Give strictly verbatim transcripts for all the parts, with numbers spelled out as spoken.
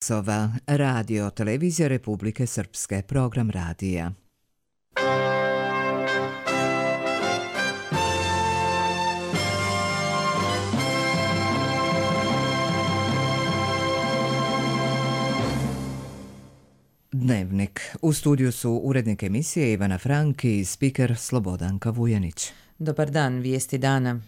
Sova, radio, televizija Republike Srpske, program radija. Dnevnik. U studiju su urednik emisije Ivana Frank i spiker Slobodanka Vujanić. Dobar dan, vijesti dana.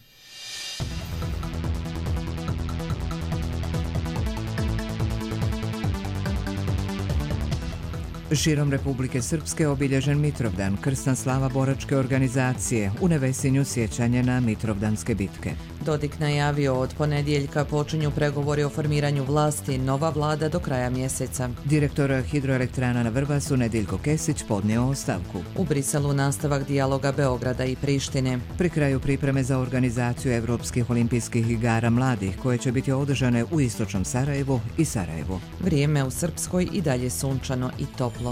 Širom Republike Srpske obilježen Mitrovdan, krsna slava boračke organizacije, u Nevesinju sjećanje na Mitrovdanske bitke. Dodik najavio od ponedjeljka počinju pregovori o formiranju vlasti, nova vlada do kraja mjeseca. Direktor hidroelektrana na Vrbasu Nediljko Kesić podnio ostavku. U Briselu nastavak dijaloga Beograda i Prištine. Pri kraju pripreme za organizaciju Evropskih olimpijskih igara mladih, koje će biti održane u istočnom Sarajevu i Sarajevu. Vrijeme u Srpskoj i dalje sunčano i toplo.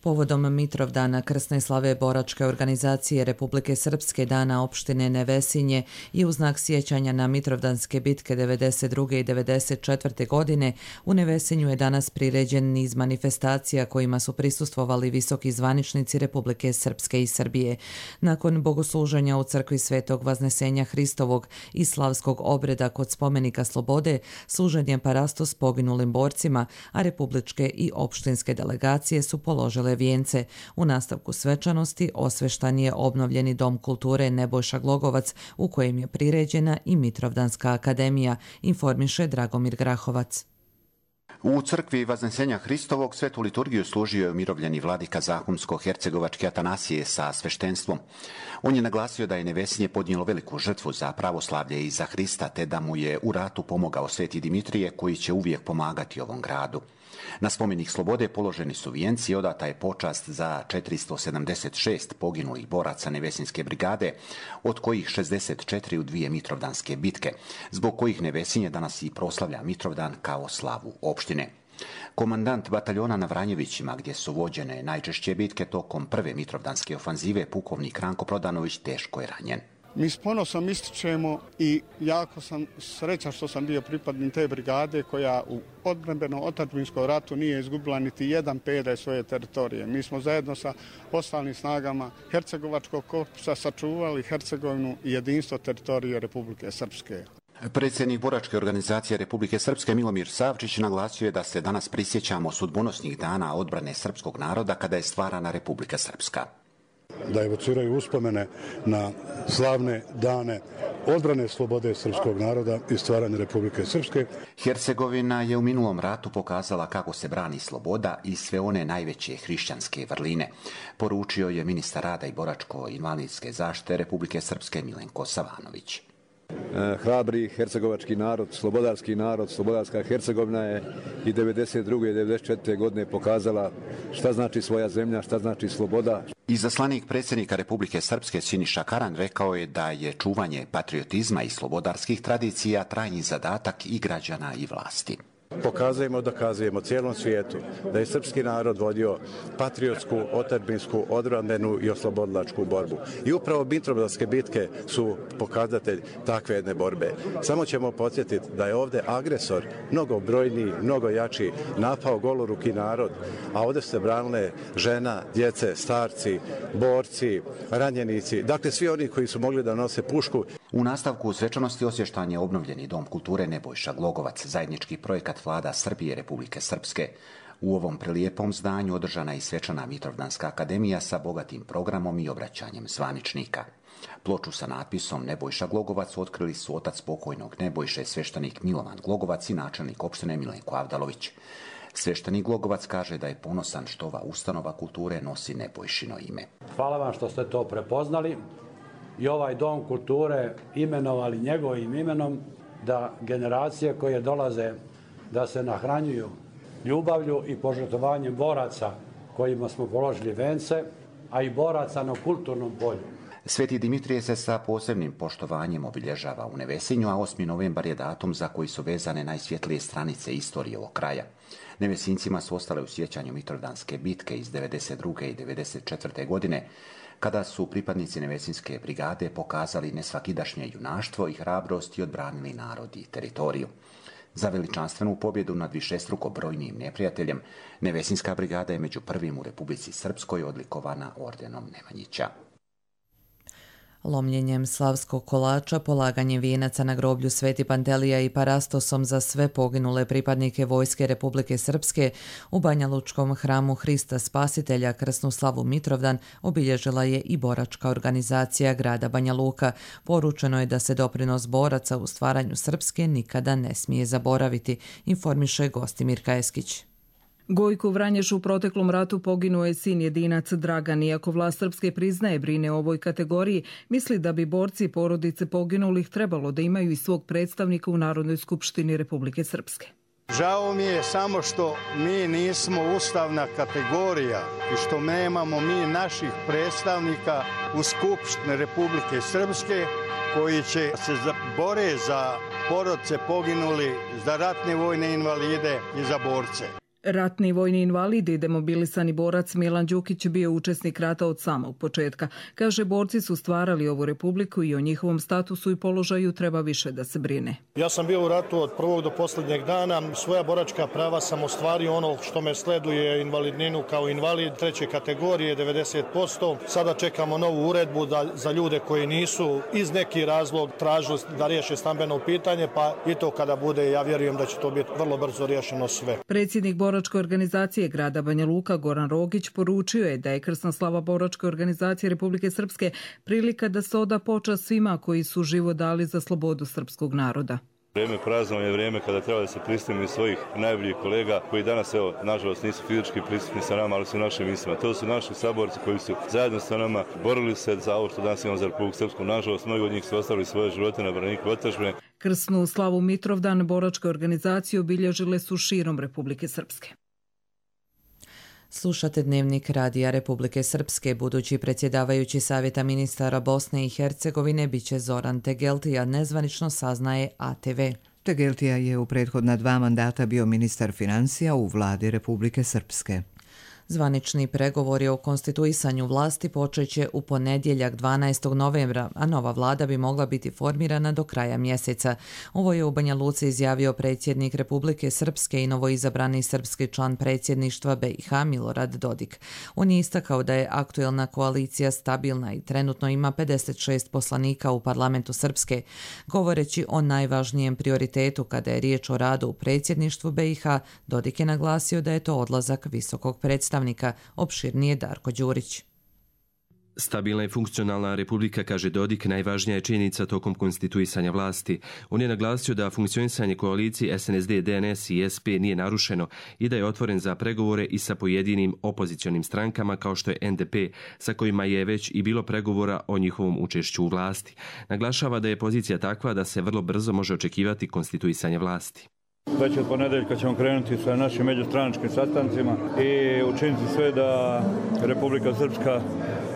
Povodom Mitrovdana, krsne slave boračke organizacije Republike Srpske, dana opštine Nevesinje i u znak sjećanja na Mitrovdanske bitke devedeset druge i devedeset četvrte godine, u Nevesinju je danas priređen niz manifestacija kojima su prisustvovali visoki zvaničnici Republike Srpske i Srbije. Nakon bogosluženja u crkvi Svetog Vaznesenja Hristovog i slavskog obreda kod spomenika Slobode, služen je parastos poginulim borcima, a republičke i opštinske delegacije su položile vijence. U nastavku svečanosti osveštan je obnovljeni Dom kulture Nebojša Glogovac, u kojem je priređena i Mitrovdanska akademija, informiše Dragomir Grahovac. U crkvi Vaznesenja Hristovog svetu liturgiju služio je umirovljeni vladika Zahumsko-hercegovački Atanasije sa sveštenstvom. On je naglasio da je Nevesinje podnijelo veliku žrtvu za pravoslavlje i za Hrista, te da mu je u ratu pomogao sveti Dimitrije, koji će uvijek pomagati ovom gradu. Na spomenik Slobode položeni su vijenci i odata je počast za četiristo sedamdeset šest poginulih boraca Nevesinske brigade, od kojih šezdeset četiri u dvije Mitrovdanske bitke, zbog kojih Nevesinje danas i proslavlja Mitrovdan kao slavu opštine. Komandant bataljona na Vranjevićima, gdje su vođene najčešće bitke tokom prve Mitrovdanske ofanzive, pukovnik Ranko Prodanović, teško je ranjen. Mi s ponosom ističemo i jako sam srećan što sam bio pripadnik te brigade koja u odbrambenom otadžbinskom ratu nije izgubila niti jedan pedalj svoje teritorije. Mi smo zajedno sa ostalim snagama Hercegovačkog korpusa sačuvali Hercegovinu i jedinstvo teritorije Republike Srpske. Predsjednik boračke organizacije Republike Srpske Milomir Savčić naglasio je da se danas prisjećamo sudbonosnih dana odbrane srpskog naroda kada je stvarana Republika Srpska. Da evociraju uspomene na slavne dane odbrane slobode srpskog naroda i stvaranja Republike Srpske. Hercegovina je u minulom ratu pokazala kako se brani sloboda i sve one najveće hrišćanske vrline, poručio je ministar rada i boračko-invalidske zaštite Republike Srpske Milenko Savanović. Hrabri hercegovački narod, slobodarski narod, slobodarska Hercegovina je i devedeset druge i devedeset četvrte godine pokazala šta znači svoja zemlja, šta znači sloboda. Izaslanik predsjednika Republike Srpske Siniša Karan rekao je da je čuvanje patriotizma i slobodarskih tradicija trajni zadatak i građana i vlasti. Pokazujemo, dokazujemo cijelom svijetu da je srpski narod vodio patriotsku, otadžbinsku, odbrambenu i oslobodilačku borbu. I upravo Mitrovdanske bitke su pokazatelj takve jedne borbe. Samo ćemo podsjetiti da je ovdje agresor mnogo brojniji, mnogo jači, napao goloruki narod, a ovdje se branile žena, djece, starci, borci, ranjenici, dakle svi oni koji su mogli da nose pušku. U nastavku svečanosti osvještan je obnovljeni Dom kulture Nebojša Glogovac, zajednički projekat vlada Srbije i Republike Srpske. U ovom prelijepom zdanju održana je i svečana Mitrovdanska akademija sa bogatim programom i obraćanjem zvaničnika. Ploču sa natpisom Nebojša Glogovac otkrili su otac pokojnog Nebojše, sveštenik Milovan Glogovac i načelnik opštine Milenko Avdalović. Sveštenik Glogovac kaže da je ponosan što ova ustanova kulture nosi Nebojšino ime. Hvala vam što ste to prepoznali i ovaj Dom kulture imenovali njegovim imenom, da generacije koje dolaze da se nahranjuju ljubavlju i požrtvovanjem boraca kojima smo položili vence, a i boraca na kulturnom polju. Sveti Dimitrije se sa posebnim poštovanjem obilježava u Nevesinju, a osmi novembar je datum za koji su vezane najsvjetlije stranice istorije ovog kraja. Nevesincima su ostale u sjećanju Mitrovdanske bitke iz devedeset druge i devedeset četvrte godine, kada su pripadnici Nevesinjske brigade pokazali nesvakidašnje junaštvo i hrabrost i odbranili narod i teritoriju. Za veličanstvenu pobjedu nad višestruko brojnim neprijateljem, Nevesinjska brigada je među prvim u Republici Srpskoj odlikovana ordenom Nemanjića. Lomljenjem slavskog kolača, polaganjem vijenaca na groblju Sveti Pantelija i parastosom za sve poginule pripadnike Vojske Republike Srpske u Banjalučkom hramu Hrista Spasitelja Krsnu slavu Mitrovdan obilježila je i boračka organizacija grada Banja Luka. Poručeno je da se doprinos boraca u stvaranju Srpske nikada ne smije zaboraviti, informiše Gostimir Kajeskić. Gojko Vranješ u proteklom ratu poginuo je sin jedinac Dragan. Iako vlast Srpske priznaje brine o ovoj kategoriji, misli da bi borci i porodice poginulih trebalo da imaju i svog predstavnika u Narodnoj skupštini Republike Srpske. Žao mi je samo što mi nismo ustavna kategorija i što nemamo mi naših predstavnika u Skupštini Republike Srpske koji će se bore za porodice poginuli, za ratne vojne invalide i za borce. Ratni vojni invalidi i demobilisani borac Milan Đukić bio učesnik rata od samog početka. Kaže, borci su stvarali ovu republiku i o njihovom statusu i položaju treba više da se brine. Ja sam bio u ratu od prvog do posljednjeg dana. Svoja boračka prava sam ostvario, ono što me sleduje invalidninu kao invalid treće kategorije devedeset posto. Sada čekamo novu uredbu da, za ljude koji nisu iz neki razlog tražili da riješe stambeno pitanje, pa i to kada bude, ja vjerujem da će to biti vrlo brzo riješeno sve. Predsjednik boračke organizacije grada Banja Luka Goran Rogić poručio je da je krsna slava boračke organizacije Republike Srpske prilika da se oda počast svima koji su život dali za slobodu srpskog naroda. Vrijeme praznovanja je vrijeme kada treba da se prisjetimo svojih najboljih kolega koji danas, evo, nažalost nisu fizički prisutni sa nama, ali su u našim mislima. To su naši saborci koji su zajedno sa nama borili se za ovo što danas imamo za Republiku Srpsku. Nažalost, mnogi od njih su ostavili svoje živote na braniku otadžbine. Krsnu slavu Mitrovdan boračke organizacije obilježile su širom Republike Srpske. Slušate Dnevnik Radija Republike Srpske. Budući predsjedavajući Savjeta ministara Bosne i Hercegovine biće Zoran Tegeltija, nezvanično saznaje A T V. Tegeltija je u prethodna dva mandata bio ministar financija u vladi Republike Srpske. Zvanični pregovori o konstituisanju vlasti počeće u ponedjeljak dvanaestog novembra, a nova vlada bi mogla biti formirana do kraja mjeseca. Ovo je u Banja Luci izjavio predsjednik Republike Srpske i novoizabrani srpski član predsjedništva B i H Milorad Dodik. On je istakao da je aktuelna koalicija stabilna i trenutno ima pedeset šest poslanika u parlamentu Srpske. Govoreći o najvažnijem prioritetu kada je riječ o radu u predsjedništvu B i H, Dodik je naglasio da je to odlazak visokog predstavnika. Opširnije Darko Đurić. Stabilna i funkcionalna republika, kaže Dodik, najvažnija je činjenica tokom konstituisanja vlasti. On je naglasio da funkcionisanje koalicije S N S D, D N S i S P nije narušeno i da je otvoren za pregovore i sa pojedinim opozicionim strankama kao što je N D P, sa kojima je već i bilo pregovora o njihovom učešću u vlasti. Naglašava da je pozicija takva da se vrlo brzo može očekivati konstituisanje vlasti. Već od ponedeljka ćemo krenuti sa našim međustranačkim sastancima i učiniti sve da Republika Srpska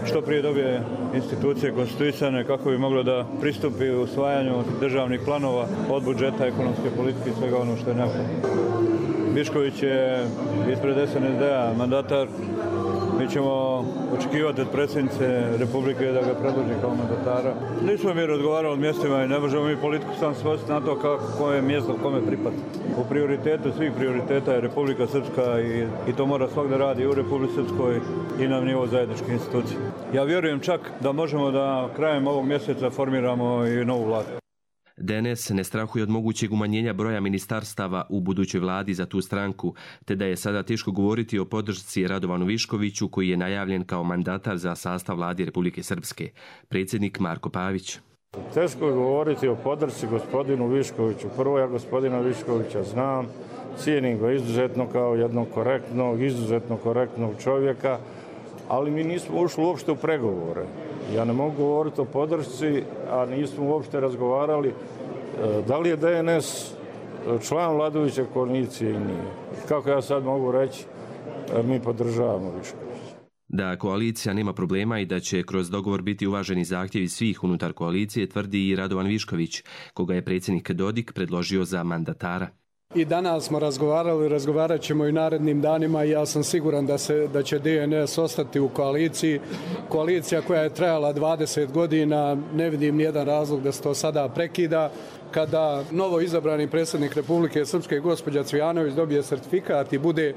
što prije dobije institucije konstituisane kako bi moglo da pristupi usvajanju državnih planova od budžeta, ekonomske politike i svega ono što je neophodno. Višković je ispred S N S D-a mandatar. Mi ćemo očekivati od predsjednice Republike da ga predloži kao mandatara. Nismo mi razgovarali o mjestima i ne možemo mi politiku sam svojiti na to kako koje mjesto kome pripada. U prioritetu svih prioriteta je Republika Srpska i, i to mora svak da radi i u Republici Srpskoj i na nivo zajedničke institucije. Ja vjerujem čak da možemo da krajem ovog mjeseca formiramo i novu vladu. D N S ne strahuje od mogućeg umanjenja broja ministarstava u budućoj vladi za tu stranku, te da je sada teško govoriti o podršci Radovanu Viškoviću koji je najavljen kao mandatar za sastav vlade Republike Srpske. Predsjednik Marko Pavić. Teško je govoriti o podršci gospodinu Viškoviću. Prvo, ja gospodina Viškovića znam, cijenim ga izuzetno kao jednog korektnog, izuzetno korektnog čovjeka, ali mi nismo ušli uopšte u pregovore. Ja ne mogu govoriti o podršci, a nismo uopšte razgovarali da li je D N S član vladajuće koalicije i nije. Kako ja sad mogu reći, mi podržavamo Viškovića. Da koalicija nema problema i da će kroz dogovor biti uvaženi zahtjevi svih unutar koalicije, tvrdi i Radovan Višković, koga je predsjednik Dodik predložio za mandatara. I danas smo razgovarali, razgovarat ćemo i narednim danima i ja sam siguran da, se, da će D N S ostati u koaliciji. Koalicija koja je trajala dvadeset godina, ne vidim nijedan razlog da se to sada prekida. Kada novo izabrani predsjednik Republike Srpske, gospođa Cvijanović, dobije sertifikat i bude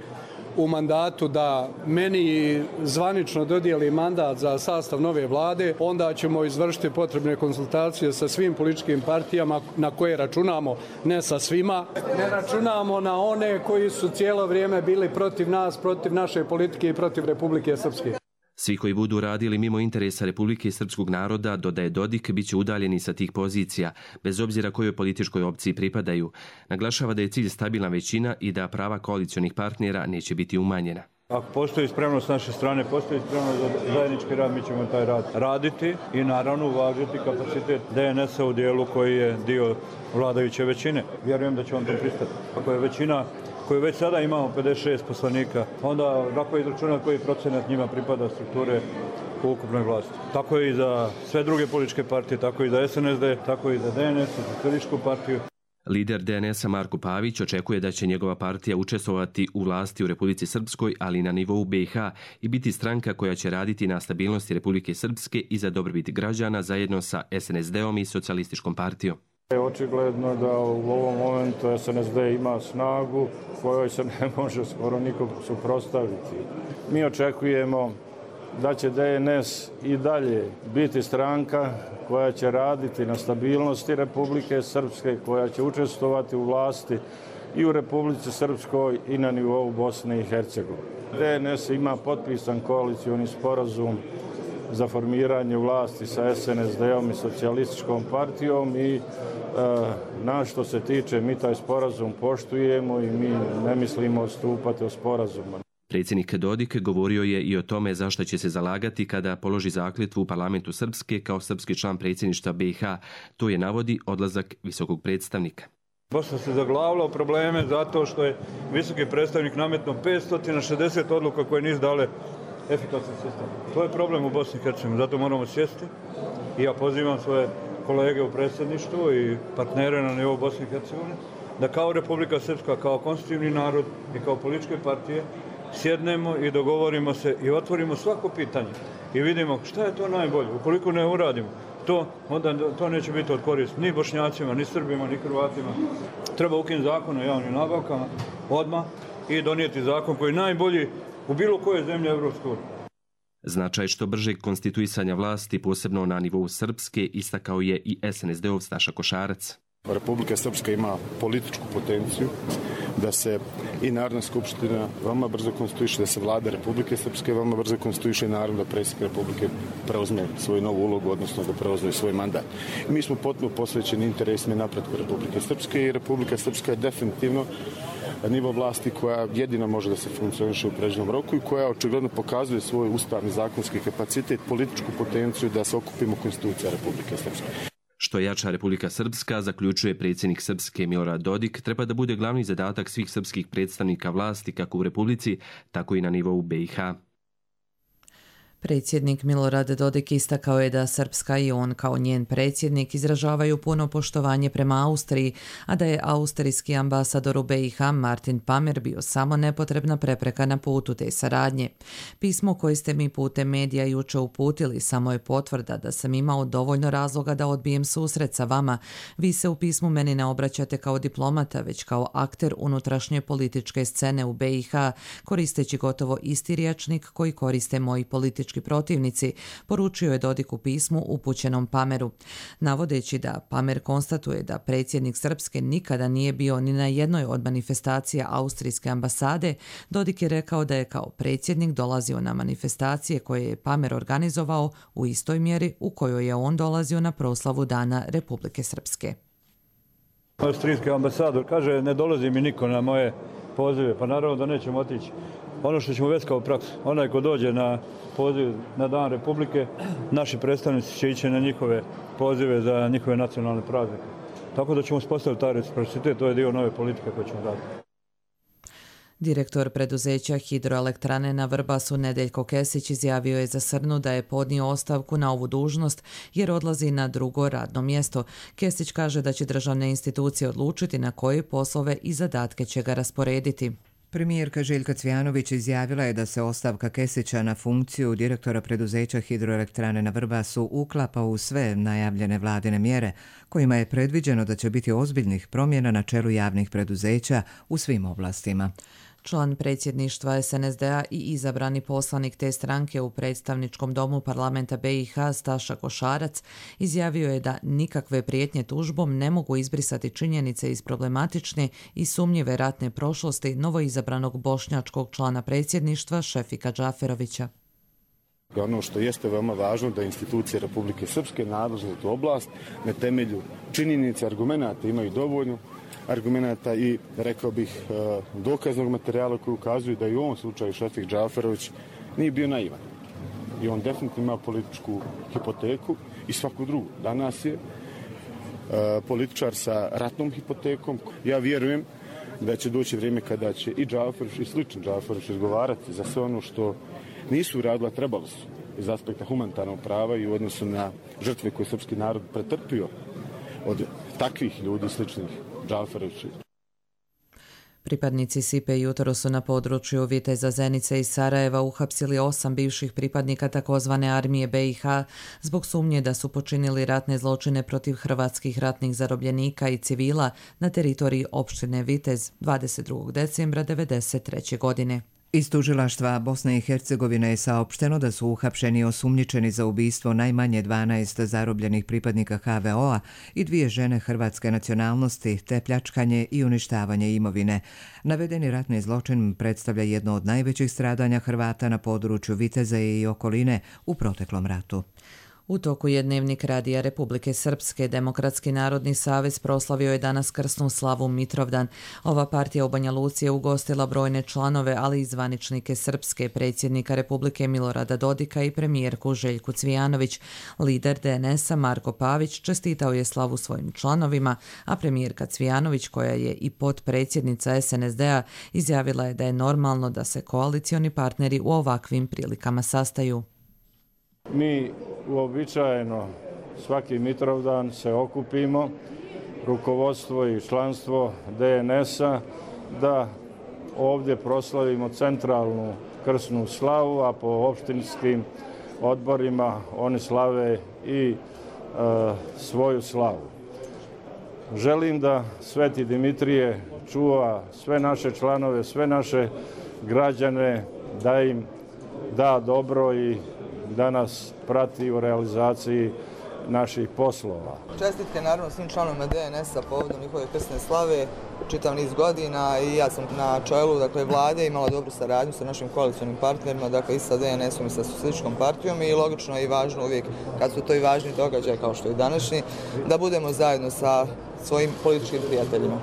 u mandatu da meni zvanično dodijeli mandat za sastav nove vlade, onda ćemo izvršiti potrebne konsultacije sa svim političkim partijama na koje računamo, ne sa svima. Ne računamo na one koji su cijelo vrijeme bili protiv nas, protiv naše politike i protiv Republike Srpske. Svi koji budu radili mimo interesa Republike i srpskog naroda, dodaje Dodik, bit će udaljeni sa tih pozicija, bez obzira kojoj političkoj opciji pripadaju. Naglašava da je cilj stabilna većina i da prava koalicionih partnera neće biti umanjena. Ako postoji spremnost s naše strane, postoji spremnost za zajednički rad, mi ćemo taj rad raditi i naravno uvažiti kapacitet D N S-a u dijelu koji je dio vladajuće većine. Vjerujem da će on to pristati. Ako je većina koju već sada imamo pedeset šest poslanika, onda lako je izračunati koji procenat njima pripada strukture u ukupnoj vlasti. Tako je i za sve druge političke partije, tako i za S N S D, tako i za D N S, za Socijalističku partiju. Lider D N S-a Marko Pavić očekuje da će njegova partija učestvovati u vlasti u Republici Srpskoj, ali i na nivou B i H i biti stranka koja će raditi na stabilnosti Republike Srpske i za dobrobit građana zajedno sa S N S D-om i Socijalističkom partijom. Očigledno da u ovom momentu S N S D ima snagu kojoj se ne može skoro nikog suprotstaviti. Mi očekujemo da će D N S i dalje biti stranka koja će raditi na stabilnosti Republike Srpske, koja će učestvovati u vlasti i u Republici Srpskoj i na nivou Bosne i Hercegovine. D N S ima potpisan koalicioni sporazum za formiranje vlasti sa S N S D-om i Socijalističkom partijom i e, na što se tiče, mi taj sporazum poštujemo i mi ne mislimo odstupati od sporazuma. Predsjednik Dodik govorio je i o tome zašto će se zalagati kada položi zakletvu u parlamentu Srpske kao srpski član predsjedništva B i H. To je navodi odlazak visokog predstavnika. Bosna se zaglavila u probleme zato što je visoki predstavnik nametno petsto šezdeset odluka koje nisu dale efikasan sistem. To je problem u Bosni i Hercegovini, zato moramo sjesti i ja pozivam svoje kolege u predsjedništvu i partnere na nivou Bosne i Hercegovine da kao Republika Srpska, kao konstitutivni narod i kao političke partije sjednemo i dogovorimo se i otvorimo svako pitanje i vidimo šta je to najbolje. Ukoliko ne uradimo to, onda to neće biti od koristi ni Bošnjacima, ni Srbima, ni Hrvatima. Treba ukinuti zakon o javnim nabavkama odmah i donijeti zakon koji je najbolji u bilo kojoj zemlji Evropske unije. Značaj što bržeg konstituisanja vlasti, posebno na nivou Srpske, istakao je i S N S D-ov Staša Košarac. Republika Srpska ima političku potenciju da se i Narodna skupština veoma brzo konstituiše, da se vlada Republike Srpske veoma brzo konstituiše i naravno da predsjednik Republike preuzme svoju novu ulogu, odnosno da preuzme svoj mandat. I mi smo potpuno posvećeni interesima i napretku Republike Srpske i Republika Srpska je definitivno nivo vlasti koja jedina može da se funkcioniše u predviđenom roku i koja očigledno pokazuje svoj ustavni zakonski kapacitet, političku potenciju da se okupimo konstitucija Republike Srpske. Što jača Republika Srpska, zaključuje predsjednik Srpske Milorad Dodik, treba da bude glavni zadatak svih srpskih predstavnika vlasti kako u Republici, tako i na nivou B i H. Predsjednik Milorad Dodik istakao je da Srpska i on kao njen predsjednik izražavaju puno poštovanje prema Austriji, a da je austrijski ambasador u B i H Martin Pamer bio samo nepotrebna prepreka na putu te saradnje. Pismo koje ste mi putem medija juče uputili samo je potvrda da sam imao dovoljno razloga da odbijem susret sa vama. Vi se u pismu meni ne obraćate kao diplomata, već kao akter unutrašnje političke scene u B i H, koristeći gotovo isti rječnik koji koriste moji politički protivnici, poručio je Dodik u pismu upućenom Pameru. Navodeći da Pamer konstatuje da predsjednik Srpske nikada nije bio ni na jednoj od manifestacija austrijske ambasade, Dodik je rekao da je kao predsjednik dolazio na manifestacije koje je Pamer organizovao u istoj mjeri u kojoj je on dolazio na proslavu Dana Republike Srpske. Austrijski ambasador kaže ne dolazi mi niko na moje pozive, pa naravno da nećemo otići. Ono što ćemo već kao praksu, onaj ko dođe na poziv na Dan Republike, naši predstavnici će ići na njihove pozive za njihove nacionalne praznike. Tako da ćemo uspostaviti taj reciprocitet, to je dio nove politike koju ćemo raditi. Direktor preduzeća Hidroelektrane na Vrbasu Nedeljko Kesić izjavio je za Srnu da je podnio ostavku na ovu dužnost jer odlazi na drugo radno mjesto. Kesić kaže da će državne institucije odlučiti na koje poslove i zadatke će ga rasporediti. Premijerka Željka Cvijanović izjavila je da se ostavka Kesića na funkciju direktora preduzeća Hidroelektrane na Vrbasu uklapa u sve najavljene vladine mjere, kojima je predviđeno da će biti ozbiljnih promjena na čelu javnih preduzeća u svim oblastima. Član predsjedništva S N S D-a i izabrani poslanik te stranke u predstavničkom domu parlamenta B i H Staša Košarac izjavio je da nikakve prijetnje tužbom ne mogu izbrisati činjenice iz problematične i sumnjive ratne prošlosti novoizabranog bošnjačkog člana predsjedništva Šefika Džaferovića. Ono što jeste veoma važno da institucije Republike Srpske nadležne za tu oblast na temelju činjenica i argumenata imaju dovoljno argumenata i, rekao bih, dokaznog materijala koji ukazuju da i u ovom slučaju Šefik Džaferović nije bio naivan. I on definitivno ima političku hipoteku i svaku drugu. Danas je političar sa ratnom hipotekom. Ja vjerujem da će doći vrijeme kada će i Džaferović i slični Džaferović izgovarati za sve ono što nisu uradila, trebalo su iz aspekta humanitarnog prava i u odnosu na žrtve koje srpski narod pretrpio od takvih ljudi sličnih Džaferovića. Pripadnici Sipe jutro su na području Viteza, Zenice i Sarajeva uhapsili osam bivših pripadnika takozvane armije B i H zbog sumnje da su počinili ratne zločine protiv hrvatskih ratnih zarobljenika i civila na teritoriji opštine Vitez dvadeset drugog decembra devedeset treće. godine. Iz tužilaštva Bosne i Hercegovine je saopšteno da su uhapšeni osumnjičeni za ubistvo najmanje dvanaest zarobljenih pripadnika H V O-a i dvije žene hrvatske nacionalnosti, te pljačkanje i uništavanje imovine. Navedeni ratni zločin predstavlja jedno od najvećih stradanja Hrvata na području Viteza i okoline u proteklom ratu. U toku je Dnevnik radija Republike Srpske. Demokratski narodni savez proslavio je danas krsnu slavu Mitrovdan. Ova partija u Banja Luci je ugostila brojne članove, ali i zvaničnike Srpske, predsjednika Republike Milorada Dodika i premijerku Željku Cvijanović. Lider D N S-a Marko Pavić čestitao je slavu svojim članovima, a premijerka Cvijanović, koja je i potpredsjednica S N S D-a, izjavila je da je normalno da se koalicioni partneri u ovakvim prilikama sastaju. Mi uobičajeno svaki Mitrovdan se okupimo, rukovodstvo i članstvo D N S-a, da ovdje proslavimo centralnu krsnu slavu, a po opštinskim odborima oni slave i e, svoju slavu. Želim da Sveti Dimitrije čuva sve naše članove, sve naše građane, da im da dobro i da nas prati u realizaciji naših poslova. Čestitke naravno svim članovima D N S-a povodom njihove krsne slave, čitav niz godina, i ja sam na čelu dakle, vlade imala dobru saradnju sa našim koalicionim partnerima, dakle i sa D N S-om i sa Socijalističkom partijom, i logično je i važno uvijek, kad su to i važni događaji kao što je današnji, da budemo zajedno sa svojim političkim prijateljima.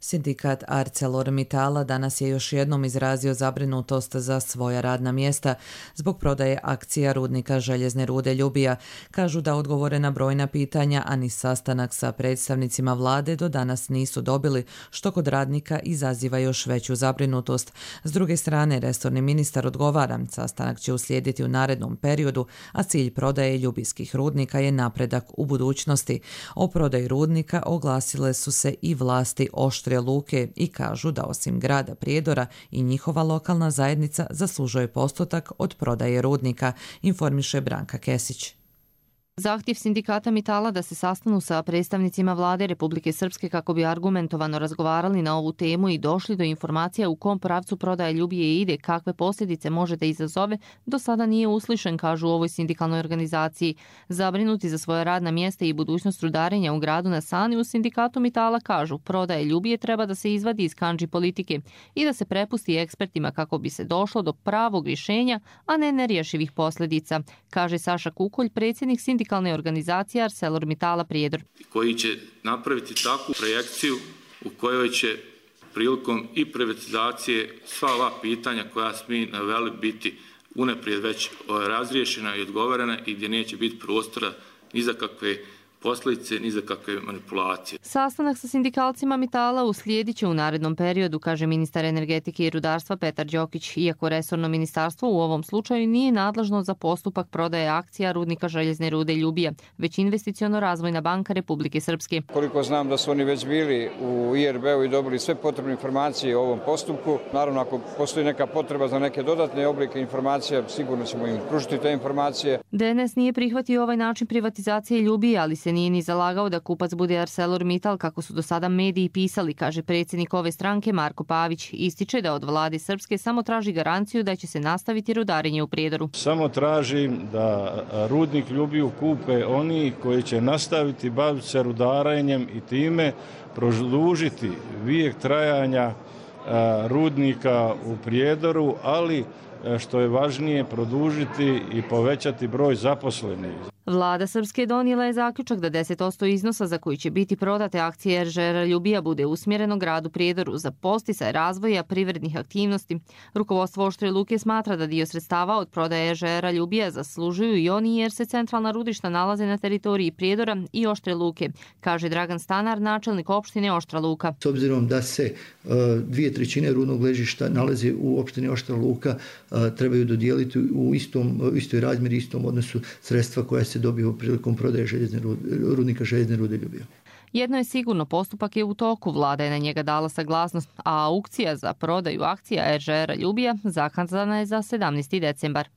Sindikat ArcelorMittala danas je još jednom izrazio zabrinutost za svoja radna mjesta zbog prodaje akcija rudnika željezne rude Ljubija. Kažu da odgovore na brojna pitanja, a ni sastanak sa predstavnicima vlade do danas nisu dobili, što kod radnika izaziva još veću zabrinutost. S druge strane, resorni ministar odgovara, sastanak će uslijediti u narednom periodu, a cilj prodaje ljubijskih rudnika je napredak u budućnosti. O prodaji rudnika oglasile su se i vlasti Oštre Luke i kažu da osim grada Prijedora i njihova lokalna zajednica zaslužuje postotak od prodaje rudnika, informiše Branka Kesić. Zahtjev sindikata Mitala da se sastanu sa predstavnicima vlade Republike Srpske kako bi argumentovano razgovarali na ovu temu i došli do informacija u kom pravcu prodaja Ljubije ide, kakve posljedice može da izazove, do sada nije uslišen, kažu u ovoj sindikalnoj organizaciji. Zabrinuti za svoja radna mjesta i budućnost rudarenja u gradu na Sani, u sindikatu Mitala kažu prodaja Ljubije treba da se izvadi iz kandži politike i da se prepusti ekspertima kako bi se došlo do pravog rješenja, a ne nerješivih posljedica, kaže Saša Kukolj, predsjednik sindikata organizacije ArcelorMittala Prijedor. Koji će napraviti takvu projekciju u kojoj će prilikom i privatizacije sva ova pitanja koja smo mi naveli biti unaprijed već razriješena i odgovorena i gdje neće biti prostora ni za kakve posljedice ni za kakve manipulacije. Sastanak sa sindikalcima Mitala uslijedit će u narednom periodu, kaže ministar energetike i rudarstva Petar Đokić, iako resorno ministarstvo u ovom slučaju nije nadležno za postupak prodaje akcija rudnika željezne rude Ljubija, već investiciono razvojna banka Republike Srpske. Koliko znam da su oni već bili u I R B-u i dobili sve potrebne informacije o ovom postupku. Naravno, ako postoji neka potreba za neke dodatne oblike informacija, sigurno ćemo im pružiti te informacije. D N S nije prihvatio ovaj način privatizacije Ljubije, ali se nije ni zalagao da kupac bude ArcelorMittal, kako su do sada mediji pisali, kaže predsjednik ove stranke Marko Pavić. Ističe da od vlade Srpske samo traži garanciju da će se nastaviti rudarenje u Prijedoru. Samo tražim da rudnik Ljubiju kupe oni koji će nastaviti baviti se rudarenjem i time produžiti vijek trajanja rudnika u Prijedoru, ali što je važnije produžiti i povećati broj zaposlenih. Vlada Srpske donijela je zaključak da deset posto iznosa za koji će biti prodate akcije R Ž R Ljubija bude usmjereno gradu Prijedoru za posticaj razvoja privrednih aktivnosti. Rukovodstvo Oštre Luke smatra da dio sredstava od prodaje R Ž R Ljubija zaslužuju i oni jer se centralna rudišta nalaze na teritoriji Prijedora i Oštre Luke, kaže Dragan Stanar, načelnik opštine Oštra Luka. S obzirom da se uh, dvije trećine rudnog ležišta nalazi u opštini Oštra Luka, uh, trebaju dodijeliti u istom, uh, istoj razmjeri, istom odnosu sredstva koja se dobio prilikom prodaje željezne rude, rudnika željezne rude Ljubija. Jedno je sigurno, postupak je u toku, vlada je na njega dala saglasnost, a aukcija za prodaju akcija R Ž R Ljubija zakazana je za sedamnaesti decembar.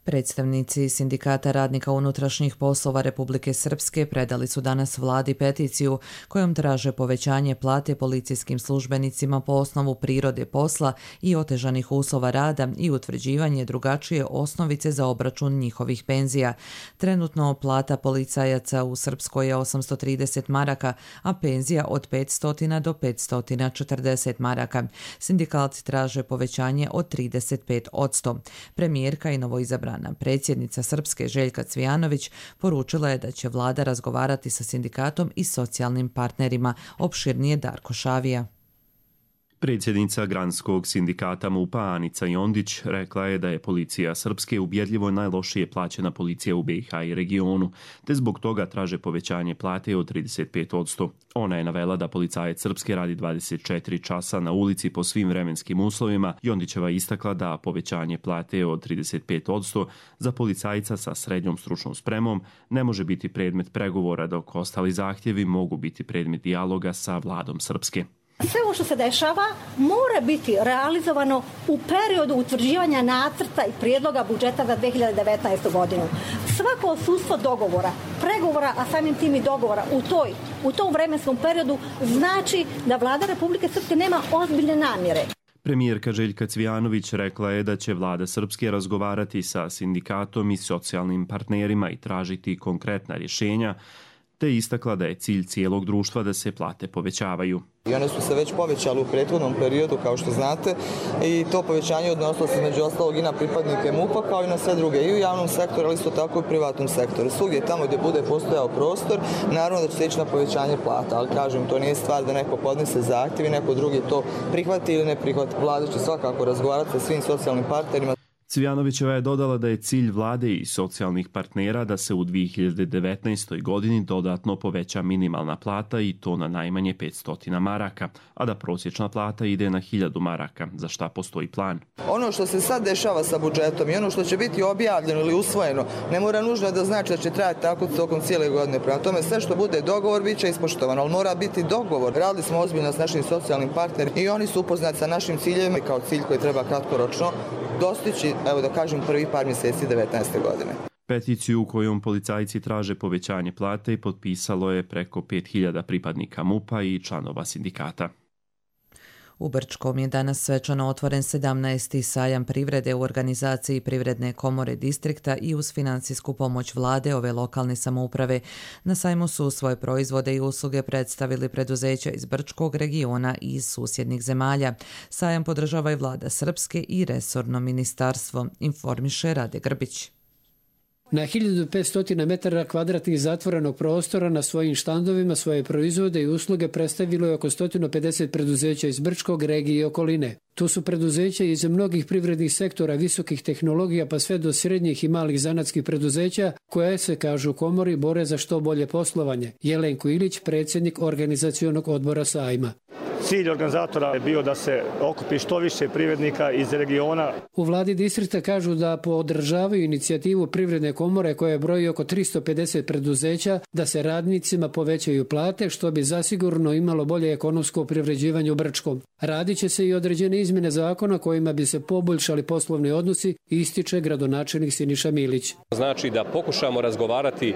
Predstavnici Sindikata radnika unutrašnjih poslova Republike Srpske predali su danas vladi peticiju kojom traže povećanje plate policijskim službenicima po osnovu prirode posla i otežanih uslova rada i utvrđivanje drugačije osnovice za obračun njihovih penzija. Trenutno plata policajaca u Srpskoj je osamsto trideset maraka, a penzija od petsto do petsto četrdeset maraka. Sindikalci traže povećanje od trideset pet posto. Premijerka i novoizabrana predsjednica Srpske Željka Cvijanović poručila je da će vlada razgovarati sa sindikatom i socijalnim partnerima. Opširnije Darko Šavija. Predsjednica Granskog sindikata MUP-a Anica Jondić rekla je da je policija Srpske ubjedljivo najlošije plaćena policija u B i H i regionu, te zbog toga traže povećanje plate od trideset pet posto. Ona je navela da policajac Srpske radi dvadeset četiri časa na ulici po svim vremenskim uslovima. Jondićeva istakla da povećanje plate od trideset pet posto za policajca sa srednjom stručnom spremom ne može biti predmet pregovora, dok ostali zahtjevi mogu biti predmet dijaloga sa vladom Srpske. Sve ovo što se dešava mora biti realizovano u periodu utvrđivanja nacrta i prijedloga budžeta za dve hiljade devetnaestu. godinu. Svako odsustvo dogovora, pregovora, a samim tim i dogovora u, toj, u tom vremenskom periodu znači da vlada Republike Srpske nema ozbiljne namjere. Premijerka Željka Cvijanović rekla je da će vlada Srpske razgovarati sa sindikatom i socijalnim partnerima i tražiti konkretna rješenja, te istakla da je cilj cijelog društva da se plate povećavaju. I one su se već povećale u prethodnom periodu, kao što znate, i to povećanje odnosilo se među ostalog i na pripadnike MUP-a, kao i na sve druge, i u javnom sektoru, ali isto tako i u privatnom sektoru. Svugdje tamo gdje bude postojao prostor, naravno da će se ići na povećanje plata, ali kažem, to nije stvar da neko podnese zahtjev i neko drugi to prihvati ili ne prihvati. Vlada će svakako razgovarati sa svim socijalnim partnerima. Cvijanovićeva je dodala da je cilj vlade i socijalnih partnera da se u dvije hiljade devetnaestoj. godini dodatno poveća minimalna plata i to na najmanje petsto maraka, a da prosječna plata ide na hiljadu maraka, za šta postoji plan. Ono što se sad dešava sa budžetom i ono što će biti objavljeno ili usvojeno ne mora nužno da znači da će trajati tako tokom cijele godine. Prema tome sve što bude dogovor bit će ispoštovano, ali mora biti dogovor. Radili smo ozbiljno s našim socijalnim partnerima i oni su upoznati sa našim ciljevima kao cilj koji treba kratkoročno dostići, evo da kažem, prvi par mjeseci devetnaeste. godine. Peticiju u kojom policajci traže povećanje plate potpisalo je preko pet hiljada pripadnika MUP-a i članova sindikata. U Brčkom je danas svečano otvoren sedamnaesti sajam privrede u organizaciji Privredne komore distrikta i uz financijsku pomoć vlade ove lokalne samouprave. Na sajmu su svoje proizvode i usluge predstavili preduzeća iz Brčkog regiona i iz susjednih zemalja. Sajam podržava i vlada Srpske i resorno ministarstvo, informiše Rade Grbić. Na hiljadu petsto metara kvadratnih zatvorenog prostora na svojim štandovima svoje proizvode i usluge predstavilo je oko sto pedeset preduzeća iz Brčkog, regije i okoline. Tu su preduzeća iz mnogih privrednih sektora, visokih tehnologija pa sve do srednjih i malih zanatskih preduzeća koje se, kažu u komori, bore za što bolje poslovanje. Jelenko Ilić, predsjednik organizacionog odbora sajma. Cilj organizatora je bio da se okupi što više privrednika iz regiona. U vladi distrikta kažu da podržavaju inicijativu Privredne komore koja broji oko tristo pedeset preduzeća da se radnicima povećaju plate, što bi zasigurno imalo bolje ekonomsko privređivanje u Brčkom. Radit će se i određene izmjene zakona kojima bi se poboljšali poslovni odnosi, ističe gradonačelnik Siniša Milić. Znači da pokušamo razgovarati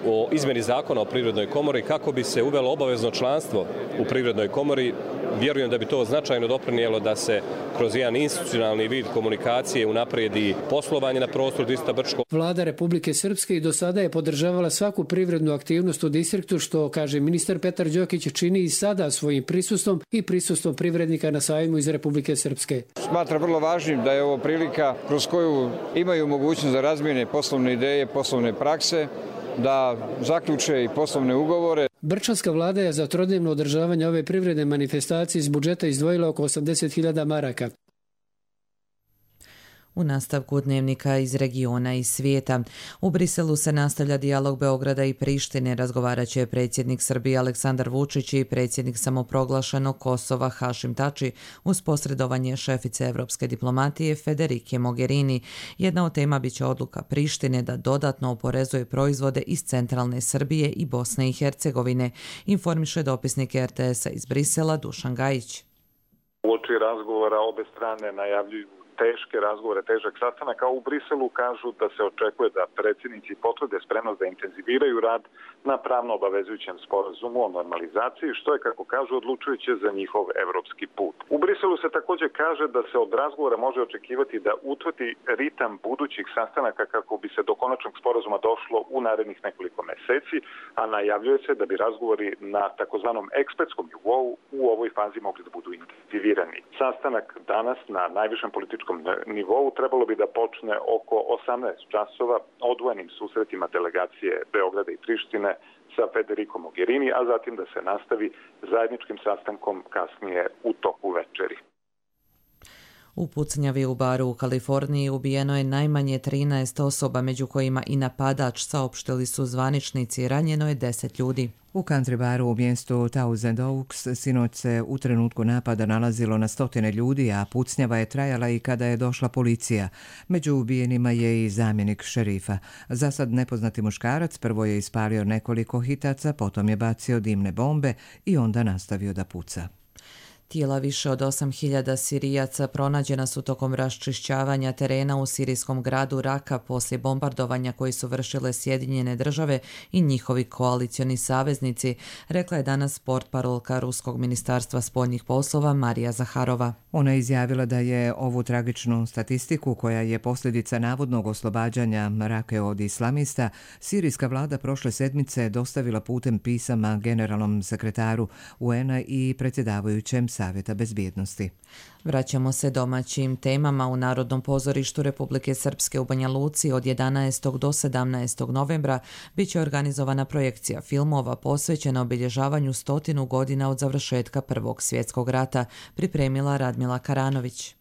o izmjeni zakona o Privrednoj komori kako bi se uvelo obavezno članstvo u Privrednoj komori. Vjerujem da bi to značajno doprinijelo da se kroz jedan institucionalni vid komunikacije unaprijedi poslovanje na prostoru distrikta Brčko. Vlada Republike Srpske i do sada je podržavala svaku privrednu aktivnost u distriktu, što, kaže ministar Petar Đokić, čini i sada svojim prisustvom i prisustvom privrednika na sajmu iz Republike Srpske. Smatram vrlo važnim da je ovo prilika kroz koju imaju mogućnost da razmijene poslovne ideje, poslovne prakse, da zaključe i poslovne ugovore. Brčanska vlada je za trodnevno održavanje ove privredne manifestacije iz budžeta izdvojila oko osamdeset hiljada maraka. U nastavku dnevnika iz regiona i svijeta. U Briselu se nastavlja dijalog Beograda i Prištine. Razgovarat će predsjednik Srbije Aleksandar Vučić i predsjednik samoproglašenog Kosova Hašim Tači uz posredovanje šefice evropske diplomatije Federike Mogherini. Jedna od tema biće odluka Prištine da dodatno oporezuje proizvode iz centralne Srbije i Bosne i Hercegovine, informiše dopisnik er te esa iz Brisela Dušan Gajić. Uoči razgovora obe strane najavljuju teške razgovore, težak sastanak, a u Briselu kažu da se očekuje da predsjednici potvrde spremnost da intenziviraju rad na pravno obavezujućem sporazumu o normalizaciji, što je, kako kažu, odlučujuće za njihov evropski put. U Briselu se također kaže da se od razgovora može očekivati da utvrdi ritam budućih sastanaka kako bi se do konačnog sporazuma došlo u narednih nekoliko meseci, a najavljuje se da bi razgovori na takozvanom ekspertskom nivou u ovoj fazi mogli da budu intenzivirani. Sastanak danas na najvišem političkom nivou trebalo bi da počne oko osamnaest časova odvojenim susretima delegacije Beograda i Prištine sa Federikom Mogherini, a zatim da se nastavi zajedničkim sastankom kasnije u toku večeri. U pucnjavi u baru u Kaliforniji ubijeno je najmanje trinaest osoba, među kojima i napadač, saopštili su zvaničnici. Ranjeno je deset ljudi. U country baru u mjestu Thousand Oaks sinoć se u trenutku napada nalazilo na stotine ljudi, a pucnjava je trajala i kada je došla policija. Među ubijenima je i zamjenik šerifa. Zasad nepoznati muškarac prvo je ispalio nekoliko hitaca, potom je bacio dimne bombe i onda nastavio da puca. Tijela više od osam hiljada Sirijaca pronađena su tokom raščišćavanja terena u sirijskom gradu Raka poslije bombardovanja koji su vršile Sjedinjene države i njihovi koalicioni saveznici, rekla je danas portparolka Ruskog ministarstva spoljnih poslova Marija Zaharova. Ona je izjavila da je ovu tragičnu statistiku, koja je posljedica navodnog oslobađanja Rake od islamista, sirijska vlada prošle sedmice dostavila putem pisama generalnom sekretaru U En a i predsjedavajućem Savjeta bezbjednosti. Vraćamo se domaćim temama. U Narodnom pozorištu Republike Srpske u Banja Luci od jedanaestog do sedamnaestog novembra bit će organizovana projekcija filmova posvećena obilježavanju stotinu godina od završetka Prvog svjetskog rata, pripremila Radmila Karanović.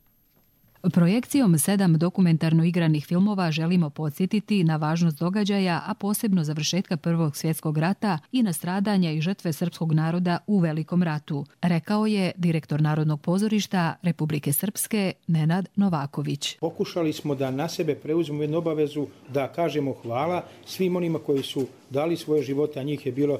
Projekcijom sedam dokumentarno igranih filmova želimo podsjetiti na važnost događaja, a posebno završetka Prvog svjetskog rata i na stradanja i žrtve srpskog naroda u Velikom ratu, rekao je direktor Narodnog pozorišta Republike Srpske Nenad Novaković. Pokušali smo da na sebe preuzmemo jednu obavezu da kažemo hvala svim onima koji su dali svoje živote, a njih je bilo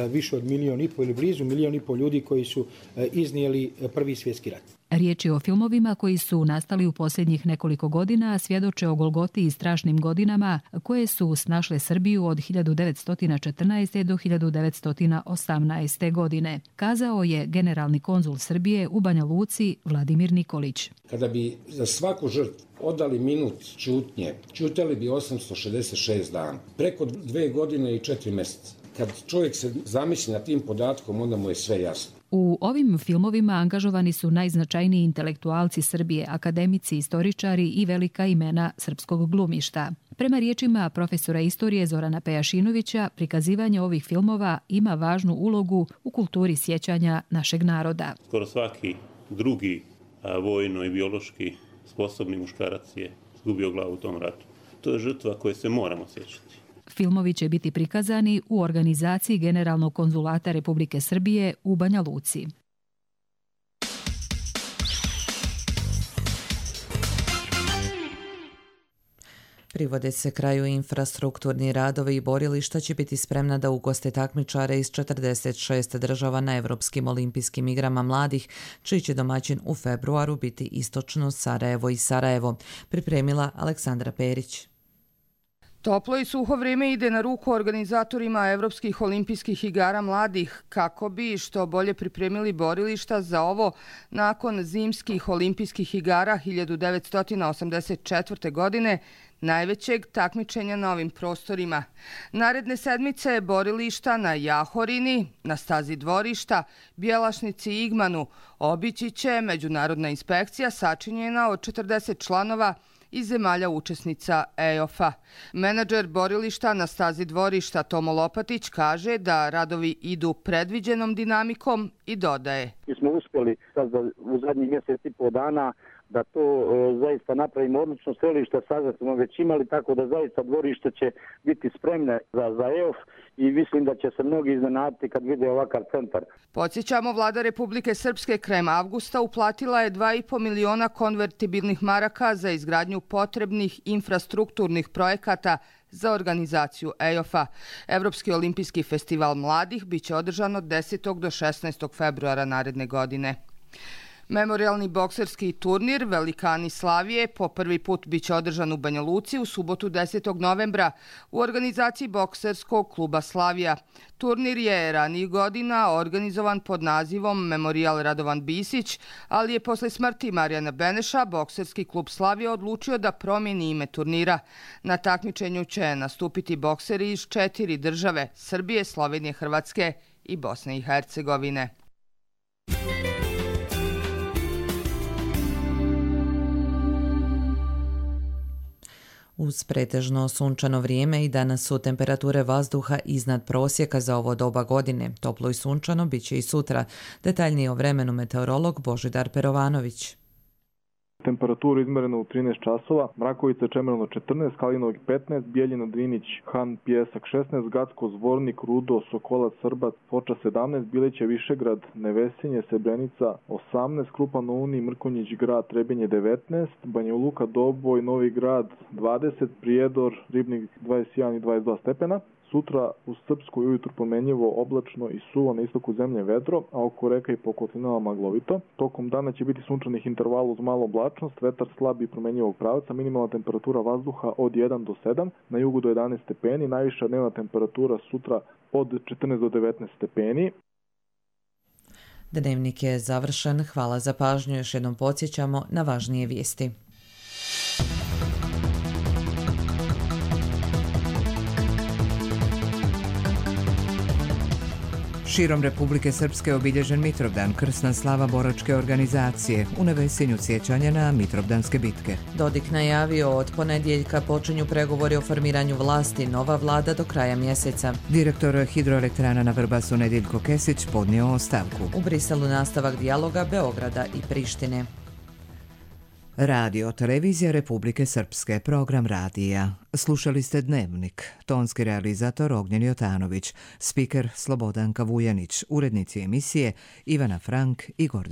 više od milijon i po ili blizu milijon i po ljudi koji su iznijeli Prvi svjetski rat. Riječ je o filmovima koji su nastali u posljednjih nekoliko godina, svjedoče o golgoti i strašnim godinama koje su snašle Srbiju od hiljadu devetsto četrnaeste. do hiljadu devetsto osamnaeste. godine, kazao je generalni konzul Srbije u Banja Luci Vladimir Nikolić. Kada bi za svaku žrtvu odali minut ćutnje, ćutali bi osamsto šezdeset šest dana, preko dve godine i četiri mjeseca. Kad čovjek se zamisli na tim podatkom, onda mu je sve jasno. U ovim filmovima angažovani su najznačajniji intelektualci Srbije, akademici, istoričari i velika imena srpskog glumišta. Prema riječima profesora istorije Zorana Pejašinovića, prikazivanje ovih filmova ima važnu ulogu u kulturi sjećanja našeg naroda. Skoro svaki drugi a, vojno i biološki sposobni muškarac je izgubio glavu u tom ratu. To je žrtva koje se moramo sjećati. Filmovi će biti prikazani u organizaciji Generalnog konzulata Republike Srbije u Banja Luci. Privode se kraju infrastrukturni radovi i borilišta će biti spremna da ugoste takmičare iz četrdeset šest država na Evropskim olimpijskim igrama mladih, čiji će domaćin u februaru biti istočno Sarajevo i Sarajevo, pripremila Aleksandra Perić. Toplo i suho vrijeme ide na ruku organizatorima Evropskih olimpijskih igara mladih kako bi što bolje pripremili borilišta za ovo nakon zimskih olimpijskih igara hiljadu devetsto osamdeset četvrte. godine, najvećeg takmičenja na ovim prostorima. Naredne sedmice borilišta na Jahorini, na stazi dvorišta, Bjelašnici i Igmanu obići će međunarodna inspekcija sačinjena od četrdeset članova iz zemalja učesnica E O F-a. Menadžer borilišta na stazi dvorišta Tomo Lopatić kaže da radovi idu predviđenom dinamikom i dodaje. Mi smo uspjeli sad u zadnjih mjesec i pol dana da to e, zaista napravimo odlično. Selište sada smo već imali, tako da zaista dvorište će biti spremne za, za E O F i mislim da će se mnogi iznenaditi kad vide ovakav centar. Podsjećamo, vlada Republike Srpske krajem avgusta uplatila je dva i po miliona konvertibilnih maraka za izgradnju potrebnih infrastrukturnih projekata za organizaciju E O F-a. Evropski olimpijski festival mladih biće održan od desetog do šesnaestog februara naredne godine. Memorijalni bokserski turnir Velikani Slavije po prvi put biće održan u Banja Luci u subotu desetog novembra u organizaciji bokserskog kluba Slavija. Turnir je ranijih godina organizovan pod nazivom Memorijal Radovan Bisić, ali je posle smrti Marijana Beneša bokserski klub Slavija odlučio da promijeni ime turnira. Na takmičenju će nastupiti bokseri iz četiri države: Srbije, Slovenije, Hrvatske i Bosne i Hercegovine. Uz pretežno sunčano vrijeme i danas su temperature vazduha iznad prosjeka za ovo doba godine. Toplo i sunčano bit će i sutra. Detaljnije o vremenu meteorolog Božidar Perovanović. Temperaturu izmereno u trinaest časova, Mrakovica Čemerno četrnaest, Kalinovik petnaest, Bijeljina Drinić, Han, Pijesak šesnaest, Gacko, Zvornik, Rudo, Sokolac, Srbac, Foča sedamnaest, Bileća, Višegrad, Nevesinje, Srebrenica osamnaest, Krupan na Uni, Mrkonjić Grad, Trebinje devetnaest, Banja Luka, Doboj, Novi Grad dvadeset, Prijedor, Ribnik dvadeset jedan i dvadeset dva stepena. Sutra u Srpskoj ujutru promenljivo, oblačno i suvo, na istoku zemlje vedro, a oko reka i po kotlinama maglovito. Tokom dana će biti sunčanih intervala uz malo oblačnost, vetar slab i promenljivog pravca, minimalna temperatura vazduha od jedan do sedam, na jugu do jedanaest stepeni, najviša dnevna temperatura sutra od četrnaest do devetnaest stepeni. Dnevnik je završen. Hvala za pažnju. Još jednom podsjećamo na važnije vijesti. Širom Republike Srpske obilježen Mitrovdan, krsna slava boračke organizacije, u Nevesinju sjećanja na Mitrovdanske bitke. Dodik najavio od ponedjeljka počinju pregovori o formiranju vlasti, nova vlada do kraja mjeseca. Direktor hidroelektrana na Vrbasu Nediljko Kesić podnio ostavku. U Briselu nastavak dijaloga Beograda i Prištine. Radio Televizija Republike Srpske, program radija. Slušali ste Dnevnik. Tonski realizator Ognjen Jotanović, spiker Slobodanka Vujanić, urednici emisije Ivana Frank i Gordan